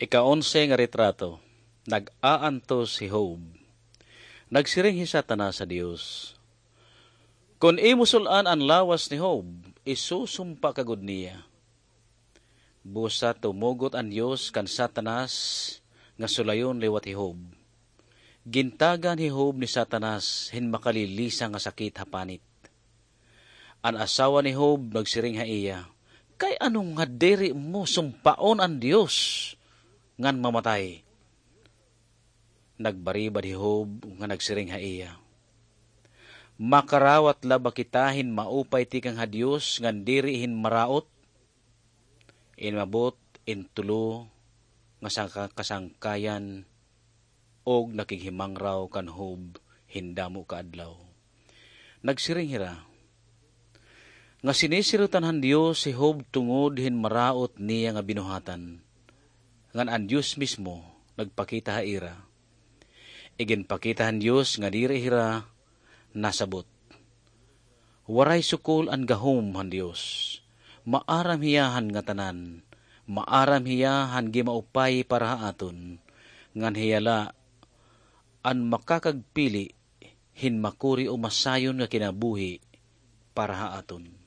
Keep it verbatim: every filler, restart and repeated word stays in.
Ika-onse nga retrato, nag-aantos hi Job. Nagsiring hi Satanas ha Dios, "Kon imo sul-an an lawas ni Job, isusumpa ka gud niya." Busa tumugot an Dios kan Satanas nga sulayon liwat hi Job. Gintagan hi Job ni Satanas hin makalilisa nga sakit ha panit. An asawa ni Job nagsiring ha iya, "Kay ano nga diri mo sumpaon an Dios ngan mamatay?" Nagbaribad hi Job nga nagsiring ha iya, "Makarawat la ba kita hin maupay tikang ha Dios ngan diri hin maraot?" Inabot in tulo nga sangka-, kasangkayan og nakighimangraw kan Job hin damo ka adlaw. Nagsiring hira nga sinisirotan han Dios hi Job tungod hin maraot niya nga binuhatan, ngan an Dios mismo nagpakita ha ira. Iginpakita han Dios nga diri hira nasabot. Waray sukol an gahom han Dios. Maaram hiya han ngatanan. Maaram hiya han gimaupay para ha aton. Ngan hiya la an makakagpili hin makuri o masayon nga kinabuhi para ha aton.